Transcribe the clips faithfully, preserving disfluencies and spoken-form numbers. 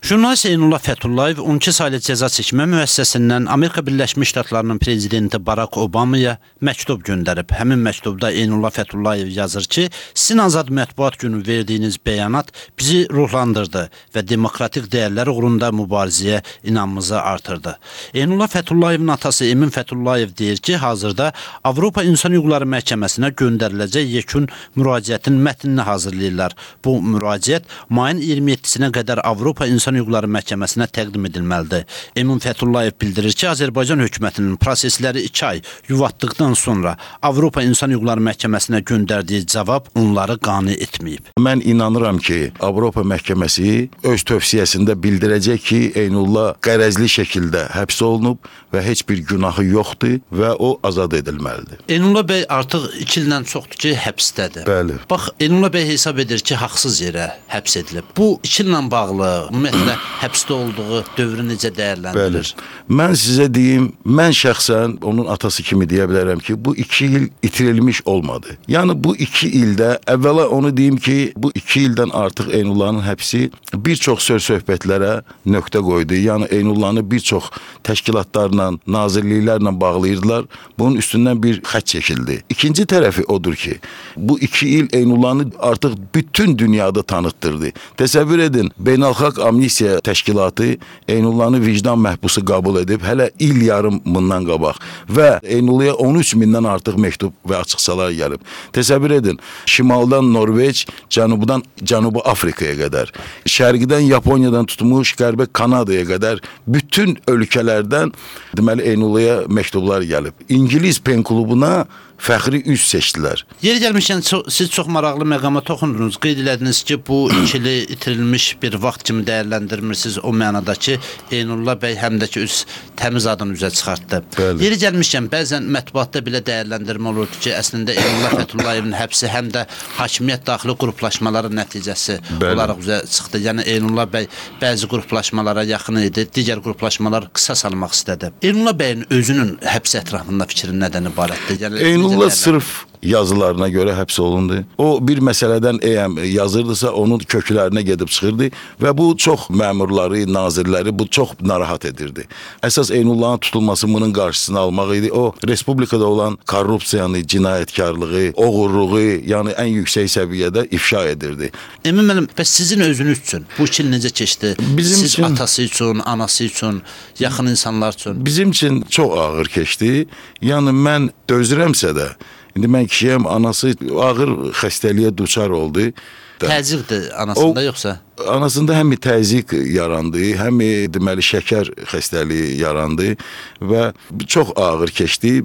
Jurnalist Eynullah Fəthullayev on iki saylı cəza çəkmə müəssisəsindən Amerika Birləşmiş Ştatlarının prezidenti Barack Obamaya məktub göndərib. Həmin məktubda Eynullah Fəthullayev yazır ki, sizin azad mətbuat günü verdiyiniz bəyanat bizi ruhlandırdı və demokratik dəyərlər uğrunda mübarizəyə inamımızı artırdı. Eynullah Fətullayevin atası Emin Fəthullayev deyir ki, hazırda Avropa İnsan Hüquqları Məhkəməsinə göndəriləcək yekun müraciətin mətnini hazırlayırlar. Bu müraciət mayın iyirmi yeddisinə qədər Avropa İnsan Hüquqları Məhkəməsinə təqdim edilməlidir. Emin Fəthullayev bildirir ki, Azərbaycan hökumətinin prosesləri iki ay yuvatdıqdan sonra Avropa İnsan Hüquqları Məhkəməsinə göndərdiyi cavab onları qane etməyib. Mən inanıram ki, Avropa Məhkəməsi öz tövsiyəsində bildirəcək ki, Eynullah qərəzli şəkildə həbs olunub və heç bir günahı yoxdur və o azad edilməlidir. Eynullah bəy artıq iki ildən çoxdur ki, həbsdədir. Bəli. Bax, Eynullah bəy hesab edir ki, haqsız yerə həbs edilib. Bu iki illə bağlı, ümumiyyətlə, həbsdə olduğu dövrü necə dəyərləndirir? Bəli. Mən sizə deyim, mən şəxsən onun atası kimi deyə bilərəm ki, bu iki il itirilmiş olmadı. Yəni bu iki ildə, əvvəla onu deyim ki, bu iki ildən artıq Eynullahın həbsi bir çox söz-söhbətlərə nöqtə qoydu. Yəni Eynullahını bir çox təşkilatlarla, nazirliklərlə bağlayırdılar. Bunun üstündən bir xətt çəkildi. İkinci tərəfi odur ki, bu iki il Eynullahını artıq bütün dünyada tanıtdırdı. Təsəvvür edin, Beynəlxalq Amnistiya Təşkilatı Eynullahını vicdan məhbusu qəbul edib, hələ il yarım bundan qabaq və Eynullah'a on üç mindən artıq məktub və açıqsalar gəlib. Təsəvvür edin, şimaldan Norveç, cənubdan Cənubi Afrikaya qədər, şərqdən Yaponiyadan tutmuş, qərbə Kanadaya qədər bütün ölkələrdən deməli Eynullah'a məktublar gəlib. İngiliz pen klubuna fəxri üz seçdilər. Yeri gəlmişkən, siz çox maraqlı məqama toxundunuz. Qeyd elədiniz ki, bu ikili itirilmiş bir vaxt kimi dəyərləndirmirsiniz o mənada ki, Eynullah bəy həm də ki, öz təmiz adını üzə çıxartdı. Bəli. Yeri gəlmişkən, bəzən mətbuatda belə dəyərləndirmə olurdu ki, əslində Eynullah Fətullayevin həbsi həm də hakimiyyət daxili qruplaşmaları nəticəsi Bəli. olaraq üzə çıxdı. Yəni, Eynullah bəy bəzi qruplaşmalara yaxın idi, digər qruplaşmalar qısa salmaq istədi. Eynullah bəyin özünün həbs ətrafında fikrin nədən ibarətdir? Yəni, Eynullah sırf yazılarına görə həbs olundu. O bir məsələdən eğer yazırdısa onun köklərinə gedib çıxırdı və bu çox məmurları, nazirləri bu çox narahat edirdi. Əsas Eynullahın tutulması bunun qarşısını almaq idi. O respublikada olan korrupsiyanı, cinayətkarlığı, oğurluğu, yəni ən yüksək səviyyədə ifşa edirdi. Emin müəllim, bəs sizin özünüz üçün bu iki il necə keçdi? Bizim Siz üçün, atası üçün, anası üçün, yaxın insanlar üçün. Bizim üçün çox ağır keçdi. Yəni mən dözürəmsə də, indi mən kişiyəm, anası ağır xəstəliyə duçar oldu. Təzyiqdir anasında, o, yoxsa? Anasında həm təzyiq yarandı, həm deməli şəkər xəstəliyi yarandı və çox ağır keçdi.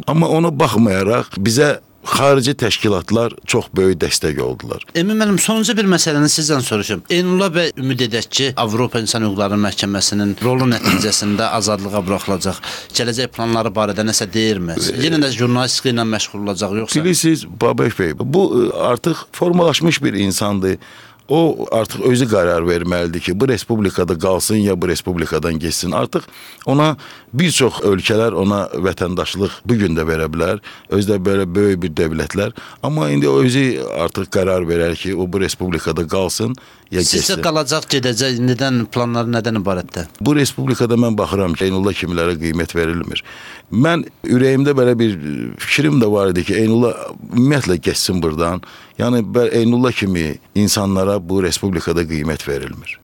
Amma ona baxmayaraq bizə xarici təşkilatlar çox böyük dəstək oldular. Emin müəllim, sonuncu bir məsələni sizdən soruşum. Eynullah bəy ümid edək ki, Avropa İnsan Hüquqları Məhkəməsinin rolu nəticəsində azadlığa buraxılacaq. Gələcək planları barədə nəsə deyirmi? Yenə də jurnalistika ilə məşğul olacaq, yoxsa? Bilirsiniz, Babək bəy, bu artıq formalaşmış bir insandır. O artıq özü qərar verməlidir ki, bu respublikada qalsın ya bu respublikadan geçsin. Artıq ona bir çox ölkələr ona vətəndaşlıq bugün də verə bilər. Özdə belə böyük bir dövlətlər. Amma indi o özü artıq qərar verər ki, o bu respublikada qalsın ya geçsin. Sizcə qalacaq, gedəcək, nədən, planları nədən ibarətdir? Bu respublikada mən baxıram ki, Eynullah kimilərə qiymət verilmir. Mən ürəyimdə belə bir fikrim də var idi ki, Eynullah ümumiyyətlə geçsin buradan. Yəni Eynullah kimi insanlara bu respublikada qiymət verilmir.